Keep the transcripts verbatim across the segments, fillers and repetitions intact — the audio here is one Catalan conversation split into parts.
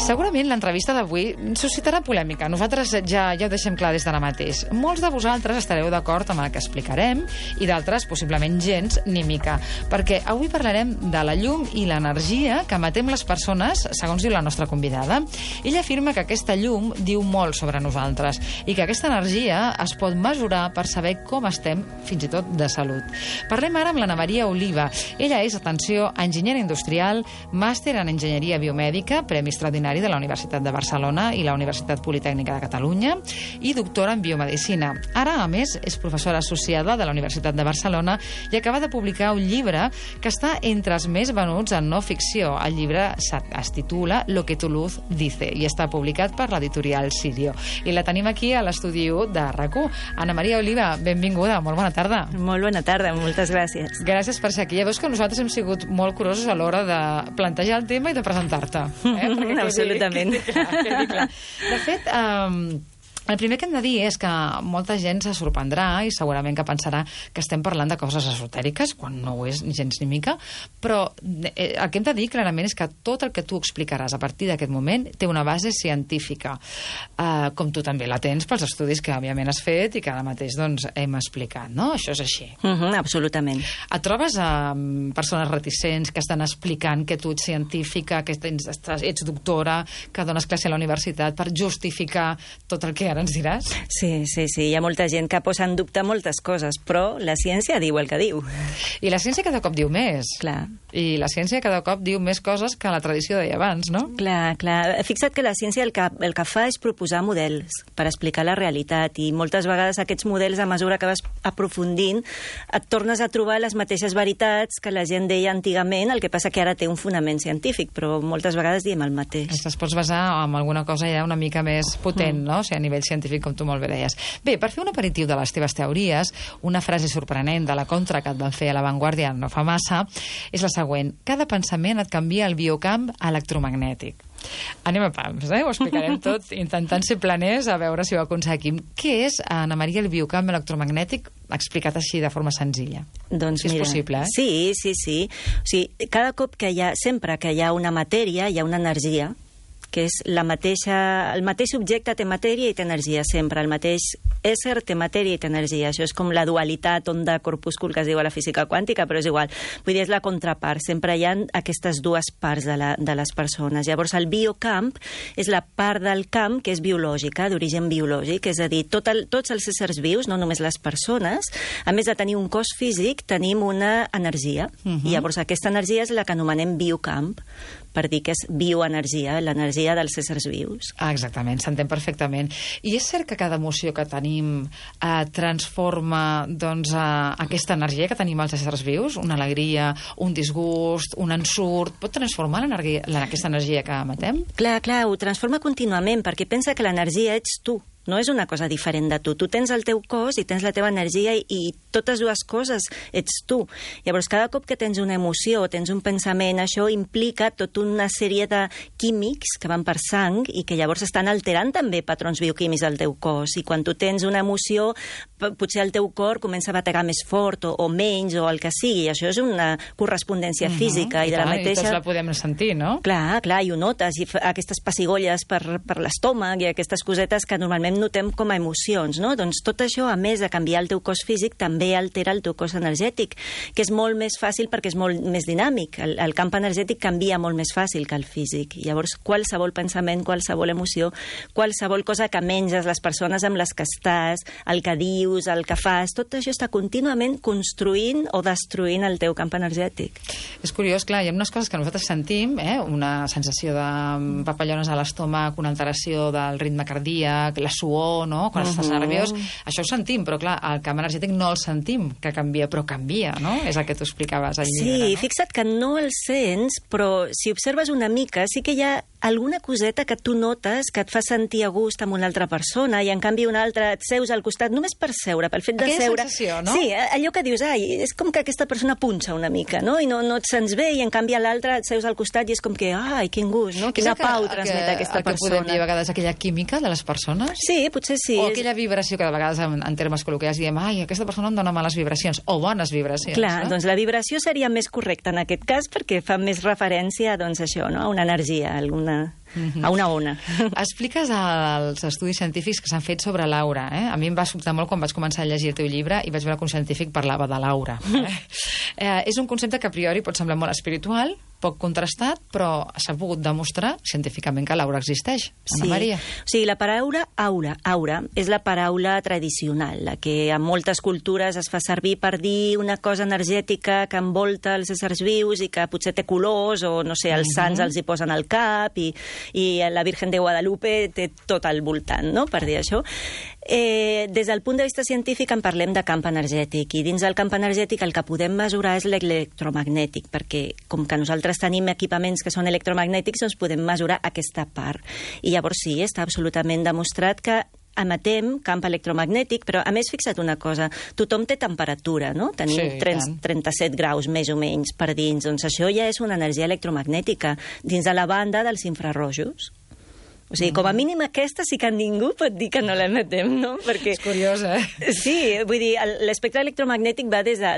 Segurament l'entrevista d'avui suscitarà polèmica. Nosaltres ja, ja ho deixem clar des d'ara mateix. Molts de vosaltres estareu d'acord amb el que explicarem i d'altres, possiblement gens, ni mica. Perquè avui parlarem de la llum i l'energia que emetem les persones, segons diu la nostra convidada. Ella afirma que aquesta llum diu molt sobre nosaltres i que aquesta energia es pot mesurar per saber com estem, fins i tot de salut. Parlem ara amb l'Anna Maria Oliva. Ella és, atenció, enginyera industrial, màster en enginyeria biomèdica, premi extraordinari de la Universitat de Barcelona i la Universitat Politècnica de Catalunya i doctora en biomedicina. Ara, a més, és professora associada de la Universitat de Barcelona i acaba de publicar un llibre que està entre els més venuts en no ficció. El llibre es titula Lo que tu luz dice i està publicat per l'editorial Sirio. I la tenim aquí a l'estudi u de RAC1. Anna Maria Oliva, benvinguda, molt bona tarda. Molt bona tarda, moltes gràcies. Gràcies per ser aquí. Ja veus que nosaltres hem sigut molt curosos a l'hora de plantejar el tema i de presentar-te. Eh? Absolutament. Quedi clar, quedi clar. De fet, um, el primer que hem de dir és que molta gent se sorprendrà i segurament que pensarà que estem parlant de coses esotèriques, quan no ho és ni gens ni mica, però el que hem de dir clarament és que tot el que tu explicaràs a partir d'aquest moment té una base científica, uh, com tu també la tens pels estudis que òbviament has fet i que ara mateix doncs, hem explicat, no? Això és així. Uh -huh, absolutament. Et trobes amb persones reticents que estan explicant que tu ets científica, que tens, ets doctora, que dones classe a la universitat per justificar tot el que ara ens diràs? Sí, sí, sí. Hi ha molta gent que posa en dubte moltes coses, però la ciència diu el que diu. I la ciència cada cop diu més. Clar. I la ciència cada cop diu més coses que la tradició deia abans, no? Clar, clar. Fixa't que la ciència el que, el que fa és proposar models per explicar la realitat i moltes vegades aquests models, a mesura que vas aprofundint, et tornes a trobar les mateixes veritats que la gent deia antigament, el que passa que ara té un fonament científic, però moltes vegades diem el mateix. Es pots basar en alguna cosa ja una mica més potent, mm. no? O sigui, a nivell científic, com tu molt bé deies. Bé, per fer un aperitiu de les teves teories, una frase sorprenent de la contra que et van fer a La Vanguardia no fa massa, és la següent. Cada pensament et canvia el biocamp electromagnètic. Anem a pams, eh? Ho explicarem tot, intentant ser planers a veure si ho aconseguim. Què és, Anna Maria, el biocamp electromagnètic explicat així de forma senzilla? Doncs si és mira, possible, eh? Sí, sí, sí. O sigui, cada cop que hi ha, sempre que hi ha una matèria, hi ha una energia, que és la mateixa, el mateix objecte té matèria i té energia sempre, el mateix ésser té matèria i té energia. Això és com la dualitat onda-corpúscul que es diu a la física quàntica, però és igual. Vull dir, és la contrapart. Sempre hi ha aquestes dues parts de, la, de les persones. Llavors, el biocamp és la part del camp que és biològica, d'origen biològic, és a dir, tot el, tots els éssers vius, no només les persones, a més de tenir un cos físic, tenim una energia. Uh-huh. I llavors, aquesta energia és la que anomenem biocamp, per dir que és bioenergia, l'energia dels éssers vius. Ah, exactament, s'entén perfectament. I és cert que cada emoció que tenim eh, transforma doncs, eh, aquesta energia que tenim els éssers vius? Una alegria, un disgust, un ensurt... Pot transformar l'energia, aquesta energia que emetem? Clar, clar, ho transforma contínuament, perquè pensa que l'energia ets tu. No és una cosa diferent de tu. Tu tens el teu cos i tens la teva energia i, i totes dues coses ets tu. Llavors, cada cop que tens una emoció o tens un pensament, això implica tota una sèrie de químics que van per sang i que llavors estan alterant també patrons bioquímics del teu cos. I quan tu tens una emoció, potser el teu cor comença a bategar més fort o, o menys o el que sigui. Això és una correspondència uh-huh. física. I, I, de la clar, mateixa... I tots la podem sentir, no? Clar, clar, i ho notes. I aquestes pessigolles per, per l'estómac i aquestes cosetes que normalment notem com a emocions, no? Doncs tot això, a més de canviar el teu cos físic, també altera el teu cos energètic, que és molt més fàcil perquè és molt més dinàmic. El, el camp energètic canvia molt més fàcil que el físic. Llavors, qualsevol pensament, qualsevol emoció, qualsevol cosa que menges, les persones amb les que estàs, el que dius, el que fas, tot això està contínuament construint o destruint el teu camp energètic. És curiós, clar, hi ha unes coses que nosaltres sentim, eh? Una sensació de papallones a l'estómac, una alteració del ritme cardíac, la suor, no? Quan uh-huh. estàs nerviós, això ho sentim, però clar, el camp energètic no el sentim, que canvia, però canvia, no? És el que tu explicaves al llibre, sí, no? Fixa't que no el sents, però si observes una mica, sí que hi ha alguna coseta que tu notes que et fa sentir a gust amb una altra persona i en canvi una altra et seus al costat, només per seure, pel fet de aquella seure. Sensació, no? Sí, allò que dius, ai, és com que aquesta persona punxa una mica, no? I no, no et sents bé i en canvi a l'altre et seus al costat i és com que, ai, quin gust, no? Quina que, pau transmet que, aquesta que persona. Podem dir a vegades aquella química de les persones? Sí, potser sí. O aquella vibració que de vegades en, en termes col·loquials diem, ai, aquesta persona em dona males vibracions, o bones vibracions. Clar, no? Doncs la vibració seria més correcta en aquest cas perquè fa més referència, doncs això, no? A una energia, alguna una, a una ona. Expliques els estudis científics que s'han fet sobre l'aura. Eh? A mi em va sobtar molt quan vaig començar a llegir el teu llibre i vaig veure que un científic parlava de l'aura. Eh? eh, és un concepte que a priori pot semblar molt espiritual, poc contrastat, però s'ha pogut demostrar científicament que l'aura existeix. Ana sí. Maria. O sigui, la paraula aura, aura, és la paraula tradicional, la que en moltes cultures es fa servir per dir una cosa energètica que envolta els éssers vius i que potser té colors, o no sé, els Mm-hmm. sants els hi posen al cap, i, i la Virgen de Guadalupe té tot al voltant, no?, per dir això. Eh, des del punt de vista científic en parlem de camp energètic, i dins del camp energètic el que podem mesurar és l'electromagnètic, perquè com que nosaltres tenim equipaments que són electromagnètics, doncs podem mesurar aquesta part. I llavors sí, està absolutament demostrat que emetem camp electromagnètic, però a més fixa't una cosa, tothom té temperatura, no? Tenim Sí, trenta-set graus més o menys per dins, doncs això ja és una energia electromagnètica dins de la banda dels infrarrojos. O sigui, com a mínim aquesta sí que ningú pot dir que no l'emetem, no? Perquè... És curiós, eh? Sí, vull dir, l'espectre electromagnètic va des de,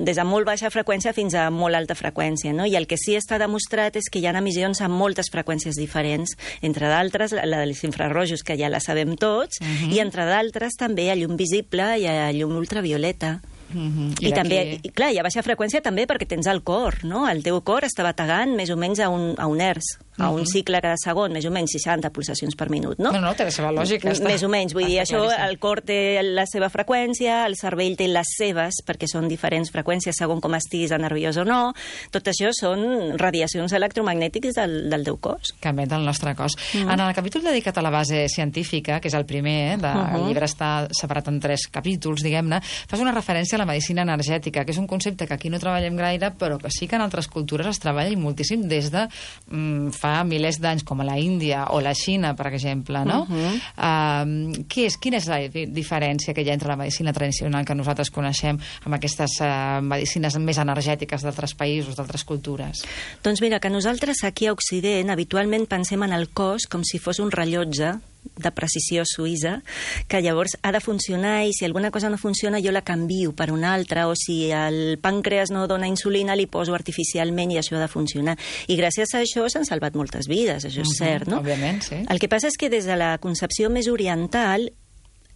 des de molt baixa freqüència fins a molt alta freqüència, no? I el que sí està demostrat és que hi ha emissions a moltes freqüències diferents, entre d'altres la dels infrarrojos, que ja la sabem tots, uh-huh. i entre d'altres també a llum visible i a llum ultravioleta. Mm-hmm. I, I també, i, clar, i a baixa freqüència també perquè tens el cor, no? El teu cor està bategant més o menys a un, a un hertz, a un cicle cada segon, més o menys seixanta pulsacions per minut, no? No, no, té la seva lògica. Està, més o menys, vull dir, això, claríssim. el cor té la seva freqüència, el cervell té les seves, perquè són diferents freqüències segons com estiguis de nerviós o no. Tot això són radiacions electromagnètiques del, del teu cos. Que emet el nostre cos. Mm. En el capítol dedicat a la base científica, que és el primer, eh, de, uh-huh. el llibre està separat en tres capítols, diguem-ne, fas una referència a la medicina energètica, que és un concepte que aquí no treballem gaire, però que sí que en altres cultures es treballa moltíssim des de mm, fa milers d'anys, com a la Índia o la Xina, per exemple, no? Uh-huh. Uh, què és, quina és la diferència que hi ha entre la medicina tradicional que nosaltres coneixem amb aquestes uh, medicines més energètiques d'altres països, d'altres cultures? Doncs mira, que nosaltres aquí a Occident habitualment pensem en el cos com si fos un rellotge de precisió suïssa, que llavors ha de funcionar, i si alguna cosa no funciona jo la canvio per una altra, o si el pàncreas no dona insulina li poso artificialment i això ha de funcionar. I gràcies a això s'han salvat moltes vides, això és uh-huh, cert, no? Òbviament, sí. El que passa és que des de la concepció més oriental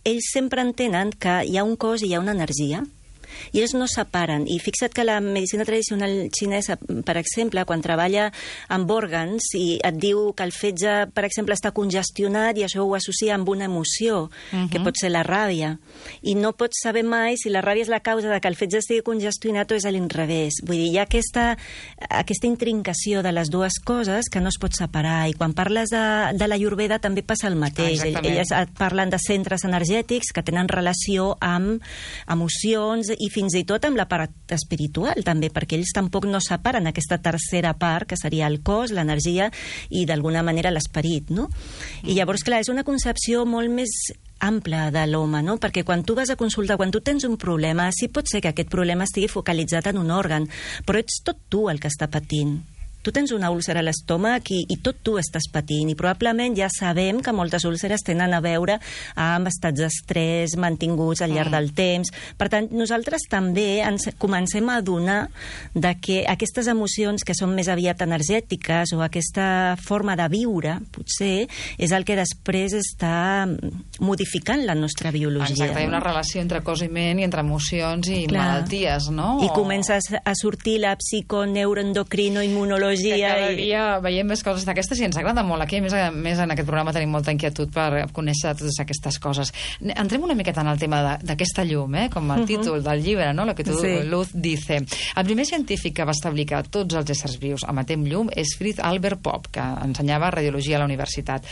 ells sempre entenen que hi ha un cos i hi ha una energia, i ells no separen. I fixa't que la medicina tradicional xinesa, per exemple, quan treballa amb òrgans i et diu que el fetge, per exemple, està congestionat, i això ho associa amb una emoció, uh-huh. que pot ser la ràbia, i no pots saber mai si la ràbia és la causa de que el fetge estigui congestionat o és a l'inrevés. Vull dir, hi ha aquesta, aquesta intrincació de les dues coses que no es pot separar, i quan parles de, de la Ayurveda també passa el mateix. Ah, elles et parlen de centres energètics que tenen relació amb emocions i fins i tot amb la part espiritual també, perquè ells tampoc no separen aquesta tercera part, que seria el cos, l'energia i d'alguna manera l'esperit, no? I llavors, clar, és una concepció molt més ampla de l'home, no? Perquè quan tu vas a consultar, quan tu tens un problema, sí pot ser que aquest problema estigui focalitzat en un òrgan, però ets tot tu el que està patint. Tu tens una úlcera a l'estómac i, i tot tu estàs patint, i probablement ja sabem que moltes úlceres tenen a veure amb estats d'estrès mantinguts al llarg mm. del temps. Per tant, nosaltres també ens comencem a adonar de que aquestes emocions que són més aviat energètiques, o aquesta forma de viure, potser, és el que després està modificant la nostra biologia. Exacte, hi ha una no? relació entre cos i ment i entre emocions i Clar. malalties, no? I comences a sortir la psiconeuroendocrinoimmunologia. Que cada dia veiem més coses d'aquestes i ens agrada molt. Aquí, a més, a més, en aquest programa tenim molta inquietud per conèixer totes aquestes coses. Entrem una miqueta en el tema d'aquesta llum, eh? Com el títol del llibre, no? Lo que tu, sí. Luz dice. El primer científic que va establir que tots els éssers vius emetem llum és Fritz Albert Popp, que ensenyava radiologia a la universitat.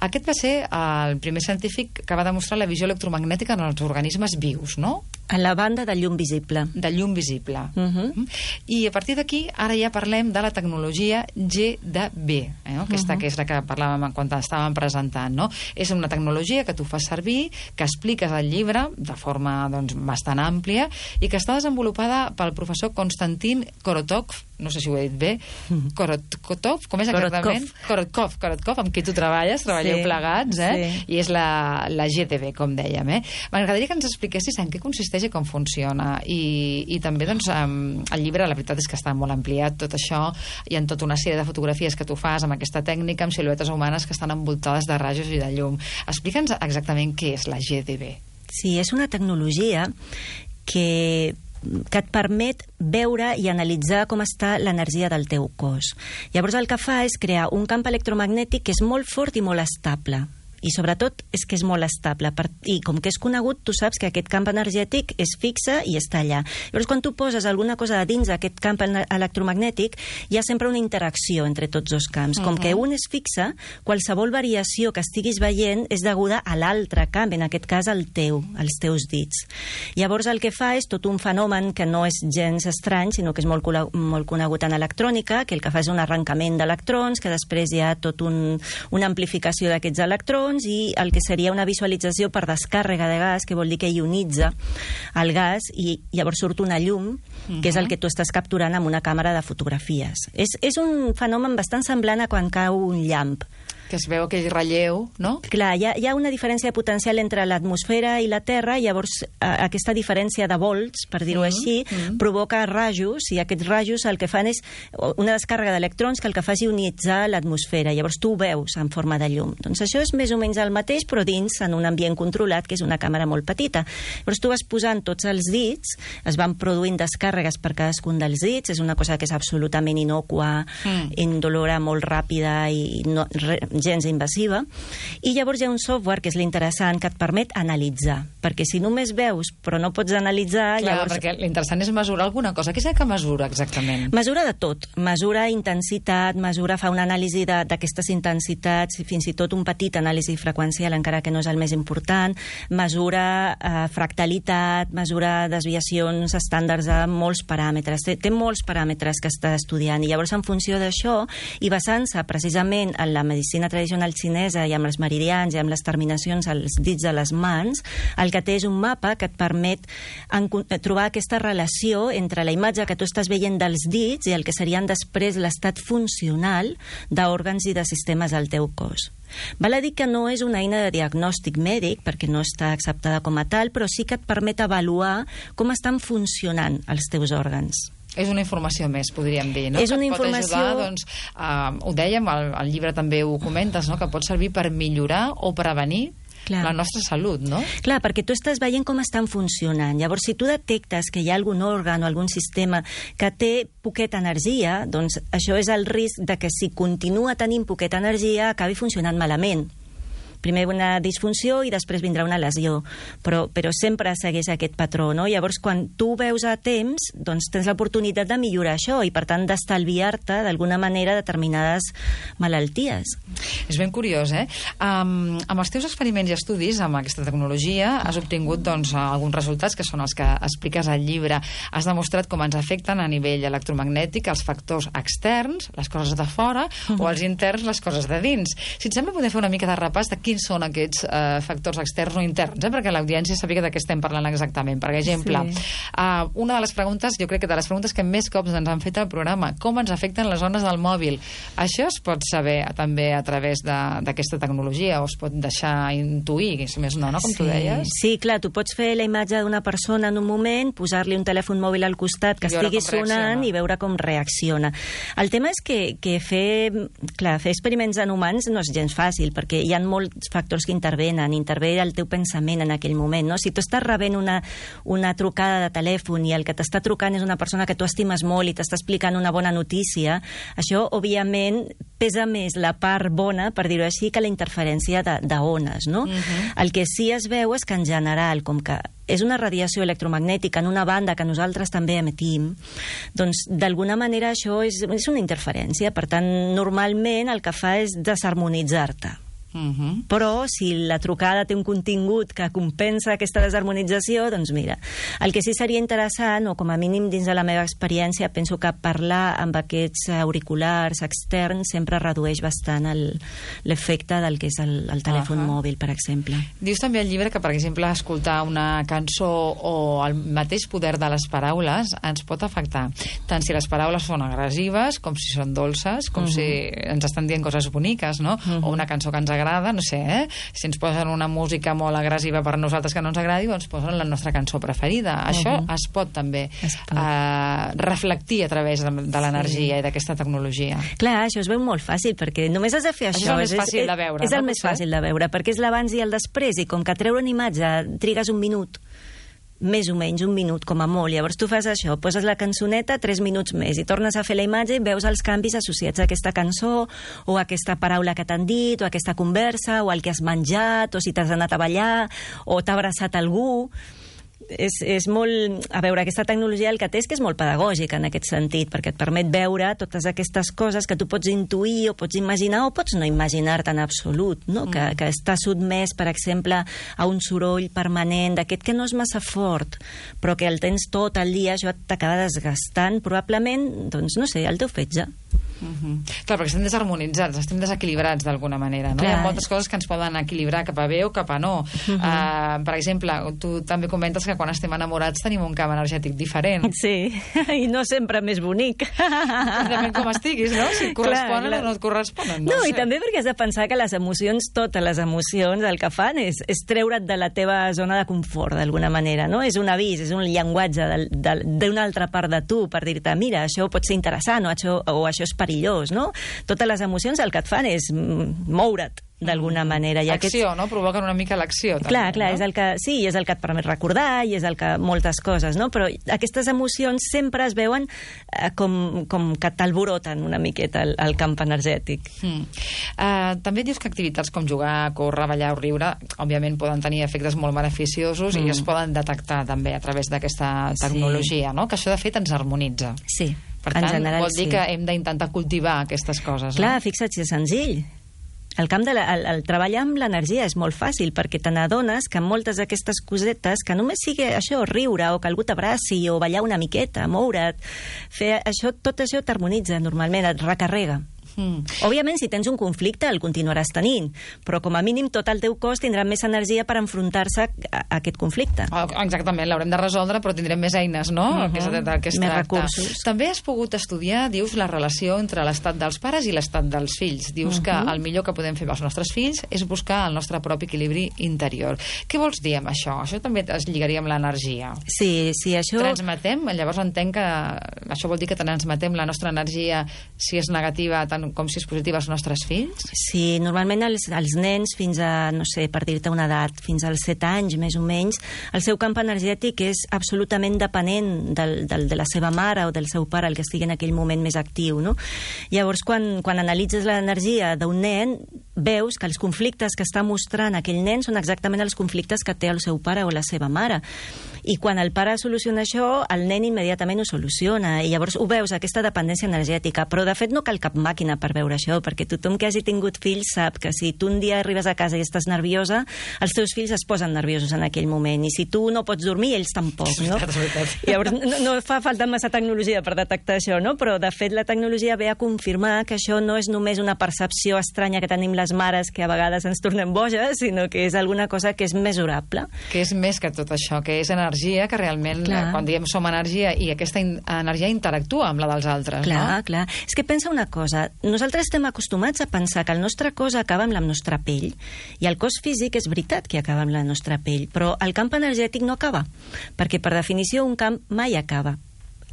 Aquest va ser el primer científic que va demostrar la visió electromagnètica en els organismes vius, no? A la banda de llum visible. De llum visible. Uh -huh. I a partir d'aquí, ara ja parlem de la tecnologia G de B, eh? Aquesta uh -huh. que és la que parlàvem quan estàvem presentant, no? És una tecnologia que tu fas servir, que expliques al llibre de forma doncs, bastant àmplia, i que està desenvolupada pel professor Konstantin Korotov no sé si ho he dit bé, Korotkov, com és exactament? Korotkov, Korotkov, amb qui tu treballes, treballeu sí, plegats, eh? Sí. I és la, la G T B, com dèiem, eh? M'agradaria que ens expliquessis en què consisteix i com funciona. I, i també, doncs, el llibre, la veritat és que està molt ampliat, tot això, hi ha tota una sèrie de fotografies que tu fas amb aquesta tècnica, amb siluetes humanes que estan envoltades de rajos i de llum. Explica'ns exactament què és la G T B. Sí, és una tecnologia que que et permet veure i analitzar com està l'energia del teu cos. Llavors el que fa és crear un camp electromagnètic que és molt fort i molt estable. I sobretot és que és molt estable. I com que és conegut, tu saps que aquest camp energètic és fixe i està allà. Llavors, quan tu poses alguna cosa a dins d'aquest camp electromagnètic, hi ha sempre una interacció entre tots dos camps. Com que un és fixe, qualsevol variació que estiguis veient és deguda a l'altre camp, en aquest cas al teu, als teus dits. Llavors, el que fa és tot un fenomen que no és gens estrany, sinó que és molt, molt conegut en electrònica, que el que fa és un arrencament d'electrons, que després hi ha tot un, una amplificació d'aquests electrons, i el que seria una visualització per descàrrega de gas, que vol dir que ionitza el gas i llavors surt una llum, uh-huh. que és el que tu estàs capturant amb una càmera de fotografies. És, és un fenomen bastant semblant a quan cau un llamp. Que es veu aquell relleu, no? Clar, hi ha, hi ha una diferència potencial entre l'atmosfera i la Terra, llavors a, aquesta diferència de volts, per dir-ho mm, així, mm. provoca rajos, i aquests rajos el que fan és una descàrrega d'electrons que el que fa és ionitzar l'atmosfera, llavors tu ho veus en forma de llum. Doncs això és més o menys el mateix, però dins, en un ambient controlat, que és una càmera molt petita. Llavors tu vas posant tots els dits, es van produint descàrregues per cadascun dels dits, és una cosa que és absolutament innocua, mm. indolora, molt ràpida i no, re, gens invasiva, i llavors hi ha un software que és l'interessant, que et permet analitzar, perquè si només veus però no pots analitzar... Clar, llavors... perquè l'interessant és mesurar alguna cosa. Què és el que mesura exactament? Mesura de tot. Mesura intensitat, mesura, fa una anàlisi d'aquestes intensitats, fins i tot un petit anàlisi freqüencial, encara que no és el més important, mesura eh, fractalitat, mesura desviacions estàndards de molts paràmetres. Té, té molts paràmetres que està estudiant, i llavors en funció d'això, i basant-se precisament en la medicina tradicional xinesa i amb els meridians i amb les terminacions als dits de les mans, el que té és un mapa que et permet en, trobar aquesta relació entre la imatge que tu estàs veient dels dits i el que serien després l'estat funcional d'òrgans i de sistemes del teu cos. Val a dir que no és una eina de diagnòstic mèdic, perquè no està acceptada com a tal, però sí que et permet avaluar com estan funcionant els teus òrgans. És una informació més, podríem dir, no? És una que informació... pot ajudar, doncs, uh, ho dèiem, al, al llibre també ho comentes, no? Que pot servir per millorar o prevenir Clar. la nostra salut, no? Clar, perquè tu estàs veient com estan funcionant. Llavors, si tu detectes que hi ha algun òrgan o algun sistema que té poqueta energia, doncs això és el risc de que si continua tenint poqueta energia acabi funcionant malament. Primer una disfunció i després vindrà una lesió, però, però sempre segueix aquest patró, no? Llavors, quan tu veus a temps, doncs tens l'oportunitat de millorar això i, per tant, d'estalviar-te d'alguna manera determinades malalties. És ben curiós, eh? Um, amb els teus experiments i estudis amb aquesta tecnologia has obtingut, doncs, alguns resultats que són els que expliques al llibre. Has demostrat com ens afecten a nivell electromagnètic els factors externs, les coses de fora, uh-huh. o els interns, les coses de dins. Si et sembla, podem fer una mica de repàs de quins són aquests eh, factors externs o interns, eh? Perquè l'audiència sàpiga de què estem parlant exactament. Per exemple, sí. uh, una de les preguntes, jo crec que de les preguntes que més cops ens han fet al programa, com ens afecten les ones del mòbil? Això es pot saber també a través d'aquesta tecnologia, o es pot deixar intuir, si més no, no? Com sí. tu deies. Sí, clar, tu pots fer la imatge d'una persona en un moment, posar-li un telèfon mòbil al costat que estigui sonant i veure com reacciona. El tema és que, que fer, clar, fer experiments en humans no és gens fàcil, perquè hi ha molts factors que intervenen, intervé el teu pensament en aquell moment, no? Si tu estàs rebent una, una trucada de telèfon i el que t'està trucant és una persona que tu estimes molt i t'està explicant una bona notícia, això, òbviament, pesa més la part bona, per dir-ho així, que la interferència d'ones, no? Uh-huh. El que sí es veu és que, en general, com que és una radiació electromagnètica en una banda que nosaltres també emetim, doncs, d'alguna manera, això és, és una interferència. Per tant, normalment, el que fa és desharmonitzar-te. Uh-huh. Però si la trucada té un contingut que compensa aquesta desharmonització, doncs mira, el que sí seria interessant, o com a mínim dins de la meva experiència, penso que parlar amb aquests auriculars externs sempre redueix bastant l'efecte del que és el, el telèfon uh-huh. mòbil, per exemple. Dius també al llibre que, per exemple, escoltar una cançó o el mateix poder de les paraules ens pot afectar, tant si les paraules són agressives com si són dolces, com uh-huh. si ens estan dient coses boniques, no? Uh-huh. O una cançó que ens agrada, no sé, eh? Si ens posen una música molt agressiva per nosaltres que no ens agradi, doncs posen la nostra cançó preferida. Uh-huh. Això es pot també es pot. Uh, reflectir a través de, de l'energia sí. i d'aquesta tecnologia. Clar, això es veu molt fàcil, perquè només has de fer això. Això és el més fàcil és, de veure. És el no? més fàcil de veure, perquè és l'abans i el després, i com que treure una imatge trigues un minut, més o menys un minut, com a molt. Llavors tu fas això, poses la cançoneta tres minuts més i tornes a fer la imatge i veus els canvis associats a aquesta cançó o a aquesta paraula que t'han dit o a aquesta conversa o al que has menjat o si t'has anat a ballar o t'ha abraçat algú. És, és molt... A veure, aquesta tecnologia el que té és que és molt pedagògica en aquest sentit, perquè et permet veure totes aquestes coses que tu pots intuir o pots imaginar o pots no imaginar-te en absolut, no? Mm. Que, que està sotmès, per exemple, a un soroll permanent d'aquest que no és massa fort, però que el tens tot el dia, això t'acaba desgastant, probablement, doncs, no sé, el teu fetge. Uh-huh. Clar, perquè estem desharmonitzats, estem desequilibrats d'alguna manera, no? Clar. Hi ha moltes coses que ens poden equilibrar cap a bé o cap a no. Uh-huh. Uh, per exemple, tu també comentes que quan estem enamorats tenim un camp energètic diferent. Sí, i no sempre més bonic. Depèn com estiguis, no? Si et corresponen clar, clar. o no et corresponen. No, no sé. I també perquè has de pensar que les emocions, totes les emocions, el que fan és, és treure't de la teva zona de confort, d'alguna manera, no? És un avís, és un llenguatge d'una altra part de tu per dir-te, mira, això pot ser interessant o això, o això és perillós, no? Totes les emocions el que et fan és moure't d'alguna manera. I acció, aquests... no? Provoquen una mica l'acció. També, clar, clar, no? és el que, sí, és el que et permet recordar i és el que moltes coses, no? Però aquestes emocions sempre es veuen eh, com, com que t'alboroten una miqueta el, el camp energètic. Mm. Uh, també dius que activitats com jugar, córrer, ballar o riure, òbviament poden tenir efectes molt beneficiosos mm. i es poden detectar també a través d'aquesta tecnologia, sí. no? Que això de fet ens harmonitza. Sí. Per tant, general, vol dir sí. que hem d'intentar cultivar aquestes coses. Clar, no? fixa't, si és senzill. El camp de la, el, el treballar amb l'energia és molt fàcil perquè te n'adones que moltes d'aquestes cosetes, que només sigui això, riure o que algú t'abraci o ballar una miqueta, moure't, fer això, tot això t'harmonitza normalment, et recarrega. Mm. Òbviament, si tens un conflicte, el continuaràs tenint, però com a mínim tot el teu cos tindrà més energia per enfrontar-se a, a aquest conflicte. Oh, exactament, l'haurem de resoldre, però tindrem més eines, no? Uh-huh. que és, que es més tracta. recursos. També has pogut estudiar, dius, la relació entre l'estat dels pares i l'estat dels fills. Dius uh-huh. que el millor que podem fer pels nostres fills és buscar el nostre propi equilibri interior. Què vols dir amb això? Això també es lligaria amb l'energia. Sí, sí, això... Transmetem, llavors entenc que això vol dir que transmetem la nostra energia, si és negativa, tant com si és positiva als nostres fills? Sí, normalment els, els nens fins a, no sé, per dir-te una edat, fins als set anys, més o menys, el seu camp energètic és absolutament depenent del, del, de la seva mare o del seu pare, el que estigui en aquell moment més actiu, no? Llavors, quan, quan analitzes l'energia d'un nen, veus que els conflictes que està mostrant aquell nen són exactament els conflictes que té el seu pare o la seva mare. I quan el pare soluciona això, el nen immediatament ho soluciona, i llavors ho veus, aquesta dependència energètica. Però, de fet, no cal cap màquina per veure això, perquè tothom que hagi tingut fills sap que si tu un dia arribes a casa i estàs nerviosa, els teus fills es posen nerviosos en aquell moment, i si tu no pots dormir, ells tampoc, no? Llavors, no, no fa falta massa tecnologia per detectar això, no? Però, de fet, la tecnologia ve a confirmar que això no és només una percepció estranya que tenim les mares, que a vegades ens tornem boges, sinó que és alguna cosa que és mesurable. Que és més que tot això, que és energia, que realment, clar. quan diem som energia, i aquesta in energia interactua amb la dels altres, clar, no? Clar, clar. És que pensa una cosa, nosaltres estem acostumats a pensar que el nostre cos acaba amb la nostra pell, i el cos físic és veritat que acaba amb la nostra pell, però el camp energètic no acaba, perquè per definició un camp mai acaba.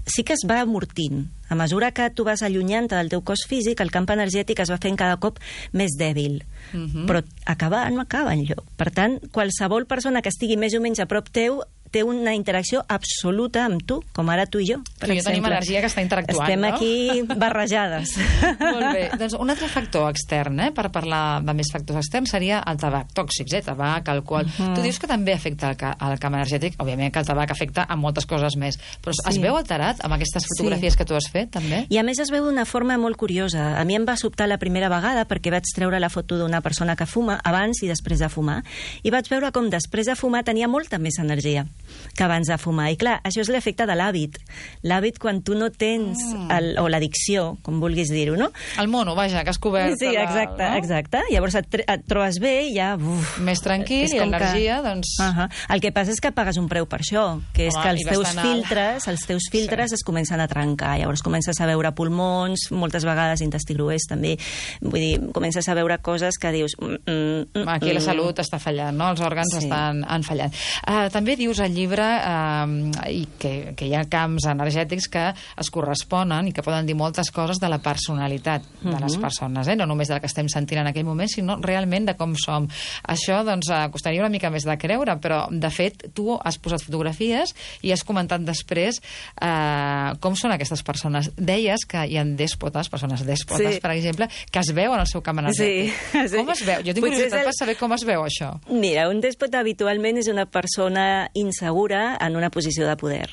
Sí que es va amortint. A mesura que tu vas allunyant del teu cos físic, el camp energètic es va fent cada cop més dèbil. Uh-huh. Però acabar no acaba enlloc. Per tant, qualsevol persona que estigui més o menys a prop teu té una interacció absoluta amb tu, com ara tu i jo, per tu i jo exemple. tenim energia que està interactuant, Estem no? aquí barrejades. Molt bé. Doncs un altre factor extern, eh, per parlar de més factors externs, seria el tabac. Tòxics, eh? Tabac, alcohol... Uh -huh. Tu dius que també afecta el, ca el camp energètic. Òbviament que el tabac afecta a moltes coses més. Però sí. Es veu alterat amb aquestes fotografies sí. que tu has fet, també? I a més es veu d'una forma molt curiosa. A mi em va sobtar la primera vegada perquè vaig treure la foto d'una persona que fuma abans i després de fumar. I vaig veure com després de fumar tenia molta més energia que abans de fumar. I clar, això és l'efecte de l'hàbit. L'hàbit quan tu no tens, mm. el, o l'addicció, com vulguis dir-ho, no? El mono, vaja, que has cobert... Sí, exacte, la, no? exacte. Llavors et, et trobes bé i ja... Uf, més tranquil i l'energia, que... doncs... Uh -huh. El que passa és que pagues un preu per això, que és Home, que els teus filtres, els teus filtres sí. es comencen a trencar. Llavors comences a veure pulmons, moltes vegades intestí gruix també. Vull dir, comences a veure coses que dius... Mm, mm, Aquí la salut està fallant, no? Els òrgans sí. estan han fallant. Uh, també dius al llibre uh, i que, que hi ha camps energètics que es corresponen i que poden dir moltes coses de la personalitat de uh-huh. les persones, eh? No només del que estem sentint en aquell moment, sinó realment de com som. Això, doncs, uh, costaria una mica més de creure, però, de fet, tu has posat fotografies i has comentat després uh, com són aquestes persones. Deies que hi ha dèspotes, persones dèspotes, sí. per exemple, que es veuen al seu camp energètic. Sí, sí. Com es veu? Jo tinc curiositat el... per saber com es veu això. Mira, un dèspota habitualment és una persona insegura en una posició de poder.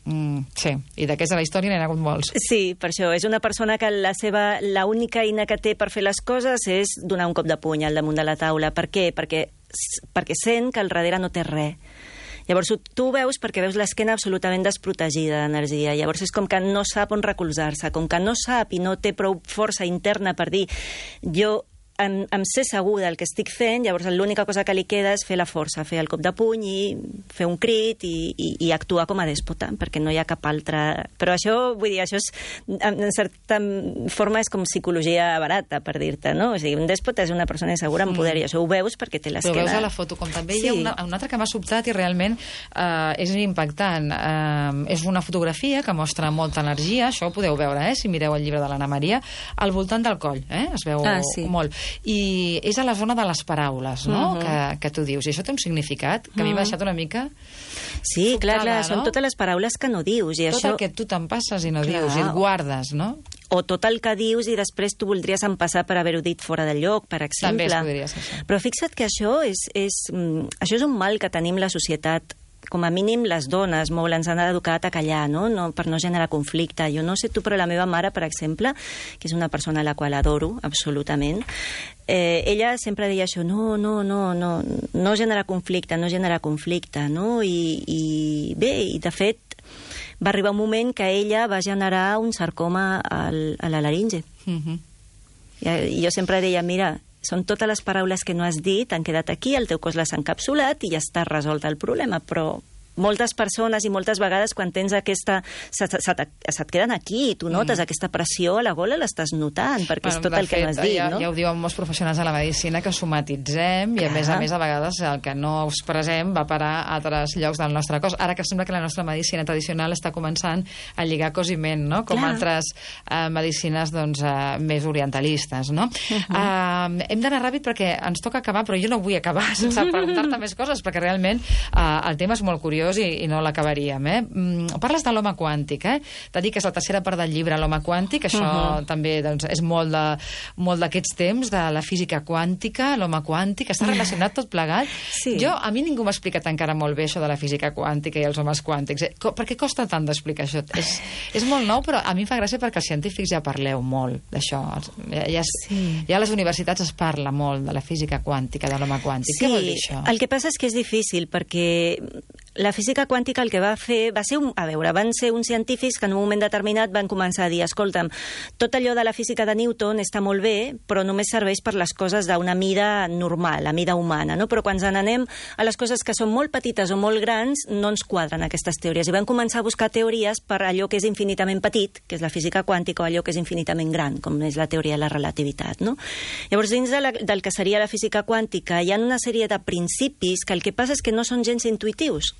Mm, sí, i d'aquests de la història n'hi ha hagut molts. Sí, per això. És una persona que la seva l'única eina que té per fer les coses és donar un cop de puny al damunt de la taula. Per què? Perquè, perquè sent que al darrere no té res. Llavors tu ho veus perquè veus l'esquena absolutament desprotegida d'energia. Llavors és com que no sap on recolzar-se, com que no sap i no té prou força interna per dir jo em, em sé segur del que estic fent, llavors l'única cosa que li queda és fer la força, fer el cop de puny i fer un crit i, i, i actuar com a dèspota, perquè no hi ha cap altra... Però això, vull dir, això és, en certa forma és com psicologia barata, per dir-te, no? O sigui, un dèspota és una persona insegura amb poder, i això ho veus perquè té l'esquena... Però veus a la foto, com també sí. hi ha una, una altra que m'ha sobtat i realment eh, és impactant. Eh, és una fotografia que mostra molta energia, això ho podeu veure, eh, si mireu el llibre de l'Anna Maria, al voltant del coll, eh? Es veu ah, sí. molt. I és a la zona de les paraules, no? Uh -huh. que, que tu dius. I això té un significat que uh -huh. a mi m'ha deixat una mica... Sí, sobtada, clar, clar, no? Són totes les paraules que no dius. I tot això... el que tu te'n passes i no clar. dius, i et guardes, no? O tot el que dius i després tu voldries empassar per haver-ho dit fora del lloc, per exemple. També es podria ser això. Però fixa't que això és, és, mm, això és un mal que tenim la societat, com a mínim les dones, molt ens han educat a callar, no? No, per no generar conflicte. Jo no sé tu, però la meva mare, per exemple, que és una persona a la qual adoro absolutament, eh, ella sempre deia això, no, no, no, no, no generar conflicte, no generar conflicte, no? I, i bé, i de fet va arribar un moment que ella va generar un sarcoma al, a la laringe. Uh -huh. I, I jo sempre deia, mira, són totes les paraules que no has dit, han quedat aquí, el teu cos les ha encapsulat i ja està resolt el problema, però moltes persones i moltes vegades quan tens aquesta... Se, se, se, se et queden aquí i tu notes mm. aquesta pressió a la gola, l'estàs notant, perquè bueno, és tot el fet, que no has dit, ja, no? Ja ho diuen molts professionals de la medicina, que somatitzem Clar. i a més a més a vegades el que no expressem va parar a altres llocs del nostre cos. Ara que sembla que la nostra medicina tradicional està començant a lligar cos i ment, no? Com Clar. altres uh, medicines doncs, uh, més orientalistes, no? Uh -huh. uh, hem d'anar ràpid perquè ens toca acabar, però jo no vull acabar sense preguntar-te més coses, perquè realment uh, el tema és molt curiós I, i no l'acabaríem, eh? Mm, parles de l'home quàntic, eh? T'ha dit que és la tercera part del llibre, l'home quàntic, això uh -huh. també doncs, és molt de molt d'aquests temps, de la física quàntica, l'home quàntic, està relacionat tot plegat. Sí. Jo, a mi ningú m'ha explicat encara molt bé això de la física quàntica i els homes quàntics. Eh? Per què costa tant d'explicar això? És, és molt nou, però a mi em fa gràcia perquè els científics ja parleu molt d'això. Ja, ja, sí. ja a les universitats es parla molt de la física quàntica, de l'home quàntic. Sí. Què vol dir això? El que passa és que és difícil, perquè la física quàntica el que va fer va ser un... A veure, van ser uns científics que en un moment determinat van començar a dir, escolta'm, tot allò de la física de Newton està molt bé, però només serveix per les coses d'una mida normal, la mida humana, no? Però quan ens n'anem a les coses que són molt petites o molt grans, no ens quadren aquestes teories. I van començar a buscar teories per allò que és infinitament petit, que és la física quàntica, o allò que és infinitament gran, com és la teoria de la relativitat, no? Llavors, dins de la, del que seria la física quàntica, hi ha una sèrie de principis que el que passa és que no són gens intuitius.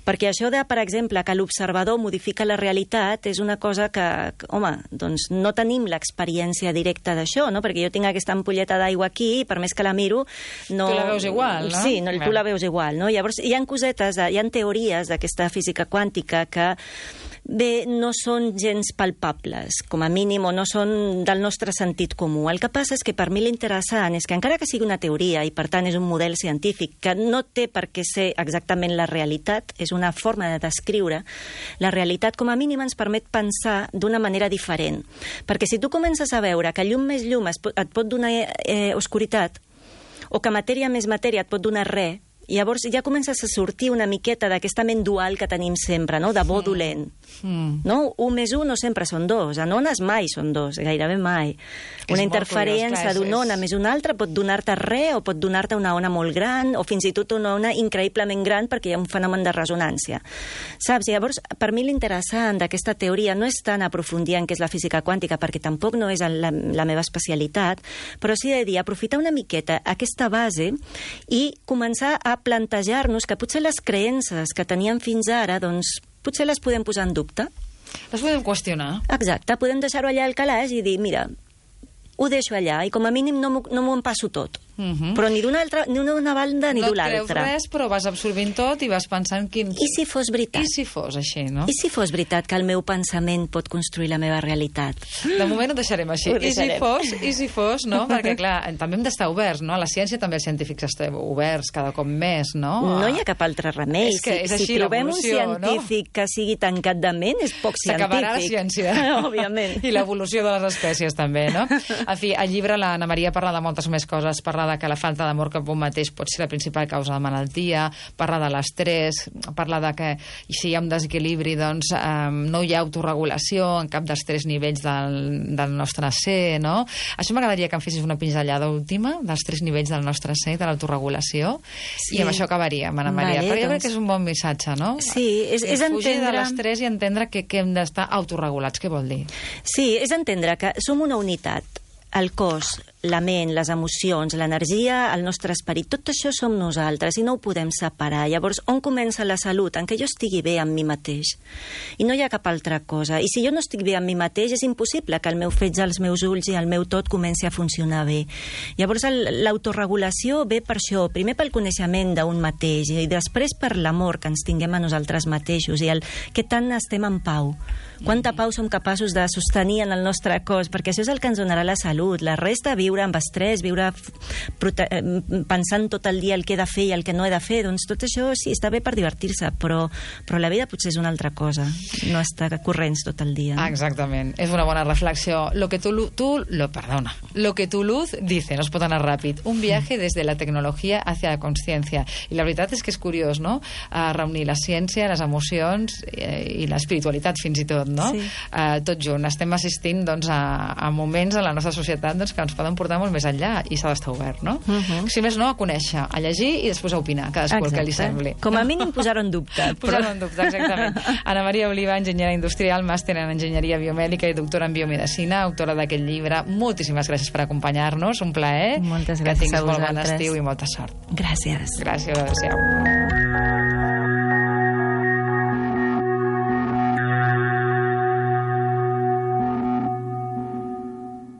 Perquè això de, per exemple, que l'observador modifica la realitat és una cosa que, que home, doncs no tenim l'experiència directa d'això, no? Perquè jo tinc aquesta ampolleta d'aigua aquí i per més que la miro... No... Tu la veus igual, no? Sí, no, tu la veus igual, no? Llavors, hi ha cosetes, hi ha teories d'aquesta física quàntica que bé, no són gens palpables, com a mínim, o no són del nostre sentit comú. El que passa és que per mi l'interessant és que encara que sigui una teoria i per tant és un model científic que no té per què ser exactament la realitat, és una forma de descriure, la realitat com a mínim ens permet pensar d'una manera diferent. Perquè si tu comences a veure que llum més llum et pot donar eh, oscuritat, o que matèria més matèria et pot donar res, llavors ja comences a sortir una miqueta d'aquesta ment dual que tenim sempre, no? De bo mm. dolent. Mm. No? Un més un no sempre són dos. En ones mai són dos, gairebé mai. És una interferència d'una ona més una altra pot donar-te res o pot donar-te una ona molt gran o fins i tot una ona increïblement gran perquè hi ha un fenomen de resonància. Saps? Llavors, per mi l'interessant d'aquesta teoria no és tant aprofundir en què és la física quàntica, perquè tampoc no és la, la meva especialitat, però sí de dir, aprofitar una miqueta aquesta base i començar a plantejar-nos que potser les creences que teníem fins ara, doncs, potser les podem posar en dubte. Les podem qüestionar. Exacte, podem deixar-ho allà al calaix i dir, mira, ho deixo allà i com a mínim no m'ho no empasso tot. Uh-huh. Però ni d'una altra, ni d'una banda ni no d'una altra. No et creus res, però vas absorbint tot i vas pensant quin... I si fos veritat? I si fos així, no? I si fos veritat que el meu pensament pot construir la meva realitat? De moment ho deixarem així. Ho deixarem. I si fos, i si fos, no? Perquè, clar, també hem d'estar oberts, no? A la ciència també els científics estem oberts cada cop més, no? No hi ha cap altre remei. És que és si, així, si trobem un científic no? que sigui tancat de ment, és poc científic. S'acabarà la ciència. Òbviament. I l'evolució de les espècies, també, no? En fi, al llibre l'Anna Maria parla de moltes més coses. Parla de que la falta d'amor cap un mateix pot ser la principal causa de malaltia, parla de l'estrès, parla de que si hi ha un desequilibri doncs eh, no hi ha autorregulació en cap dels tres nivells del, del nostre ser, no? Això m'agradaria que em fessis una pinzellada última dels tres nivells del nostre ser, de l'autorregulació, sí. I amb això acabaríem, Anna Maria. Vale, però jo doncs... crec que és un bon missatge, no? Sí, és, és, és fugir entendre... de l'estrès i entendre que, que hem d'estar autorregulats. Què vol dir? Sí, és entendre que som una unitat. El cos, la ment, les emocions, l'energia, el nostre esperit, tot això som nosaltres i no ho podem separar. Llavors, on comença la salut? En què jo estigui bé amb mi mateix. I no hi ha cap altra cosa. I si jo no estic bé amb mi mateix, és impossible que el meu fetge, els meus ulls i el meu tot comenci a funcionar bé. Llavors, l'autorregulació ve per això, primer pel coneixement d'un mateix i després per l'amor que ens tinguem a nosaltres mateixos i el que tant estem en pau. Quanta pau som capaços de sostenir en el nostre cos, perquè això és el que ens donarà la salut. La resta, viure amb estrès, viure pensant tot el dia el que he de fer i el que no he de fer, doncs tot això sí, està bé per divertir-se, però, però la vida potser és una altra cosa, no estar corrents tot el dia. Ah, exactament, és una bona reflexió. Lo que tu, tu lo, perdona, lo que tu luz dice, no es pot anar ràpid, un viaje des de la tecnologia hacia la consciència. I la veritat és que és curiós, no?, a reunir la ciència, les emocions eh, i l'espiritualitat fins i tot, no? Sí. Uh, tot junt. Estem assistint doncs, a, a moments en la nostra societat doncs, que ens poden portar molt més enllà i s'ha d'estar obert, no? Uh -huh. Si més no, a conèixer, a llegir i després a opinar, cadascú el que li sembli. Com a mínim posar-ho en dubte. Posar-ho en dubte, exactament. Anna Maria Oliva, enginyera industrial, màster en enginyeria biomèdica i doctora en biomedicina, autora d'aquest llibre. Moltíssimes gràcies per acompanyar-nos, un plaer. Moltes gràcies que tinguis a vosaltres. molt bon estiu i molta sort. Gràcies. Gràcies, adéu-siau.